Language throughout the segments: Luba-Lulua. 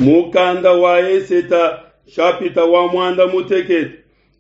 Mukanda wa Eseta nshapita wa muanda mutekete.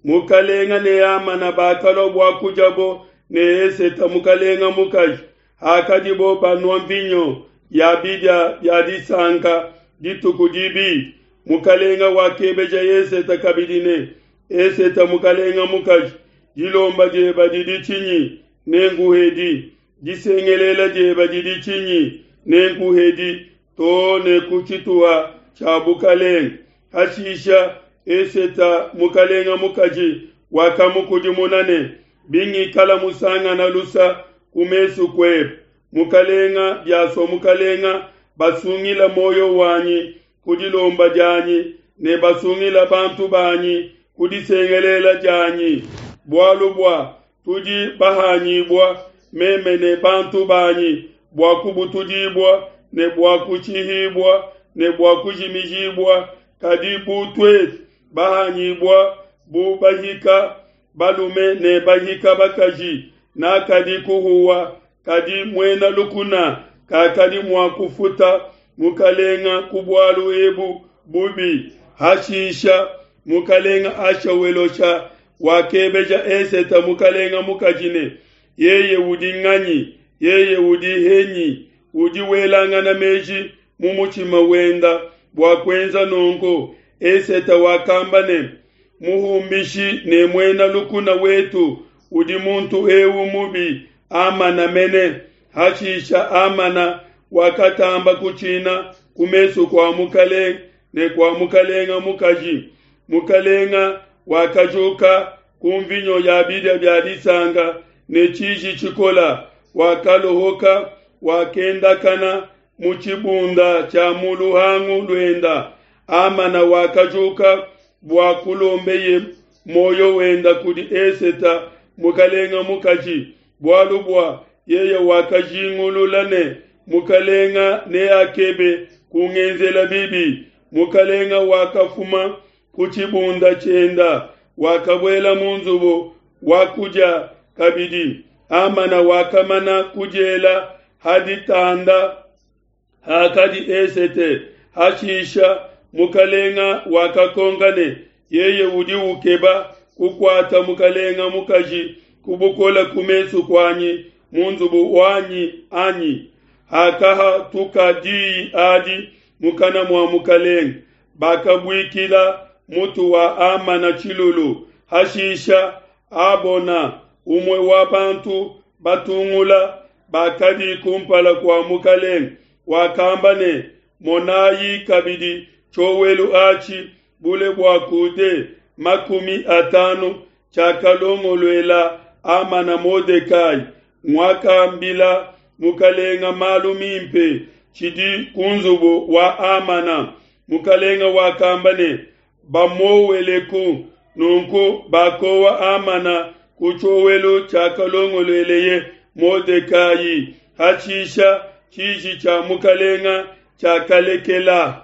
Mukalenga ne Hamana bakalua bua kudiabo ne Eseta mukalenga mukaji, hakadibo banua nvinyo ya bidia bia disanka dituku dibi. Mukalenga wakebeja Eseta kabidi ne, Eseta mukalenga mukaji, dilomba dieba didi tshinyi? Nenkuhedi. Disengelela dieba didi tshinyi? Nenkuhedi too ne ku tshituha tshia bukelenge. Hashisha Eseta mukelenge mukaji wakamukudimuna ne, Bingikala musangana lusa ku mesu kuebe, mukelenge, biasua mukelenge, basungila muoyo wanyi ku dilomba dianyi ne basungila bantu banyi ku disengelela dianyi, bualu bua tudi bahanyibua, meme ne bantu banyi, bua kubutudibua ne bua kushihibua ne bua kujimijibua, kadi bu tuetu bahanyibua bu bahika balume ne bahika bakaji, nakadi kuhuwa, kadi muena lukuna kakadi mua kufuta mukalenga ku bualu ebu bubi. Hashisha mukalenga Ahashawelosha wakebeja Eseta mukalenga mukaji ne, Yeye udi nganyi? Yeye udi henyi? Udi welangana meji mu mutshima wenda bua kuenza nunku. Eseta wakamba ne, Muhumbishi ne muena lukuna wetu udi muntu eu mubi Hamana mene. Hashisha Hamana wakatamba kutshina ku mesu kua mukelenge ne kua mukelenge mukaji. Mukelenge wakajuka ku nvinyo ya bidia bia disanka ne tshiji tshikole, wakalohoka, wakendakana mu tshibunda tshia mu luhangu luenda. Hamana wakajuka bua kulombeye muoyo wenda kudi Eseta mukelenge mukaji, bualu bua yeye wakajingulula ne mukelenge neakebe kungenzela bibi. Mukelenge wakafuma ku tshibunda tshienda, wakabuela mu nzubu wa kudia kabidi. Hamana wakamana kudiela ha ditanda hakadi Esete. Hashisha mukelenge wakakonka ne, Yeye udi ukeba kukuata mukelenge mukaji ku bukole ku mesu kuanyi mu nzubu wanyi, anyi? Hakahatuka diyi adi mukana mua mukelenge, bakabuikila mutu wa Hamana tshilulu. Hashisha Habona, umue wa bantu batungula bakadi kumpala kua mukelenge, wakamba ne, Monayi kabidi tshiowelu atshi bule bua coude 50 tshiakalongoluela Hamana Modekai, nguakambila mukelenge malu mimpe, tshidi ku nzubu wa Hamana. Mukelenge wakamba ne, Bamuoweleku. Nunku bakowa Hamana ku tshiowelu tshiakalongolueleye Modekai. Hashisha tshiji tshia mukelenge tshiakalekela.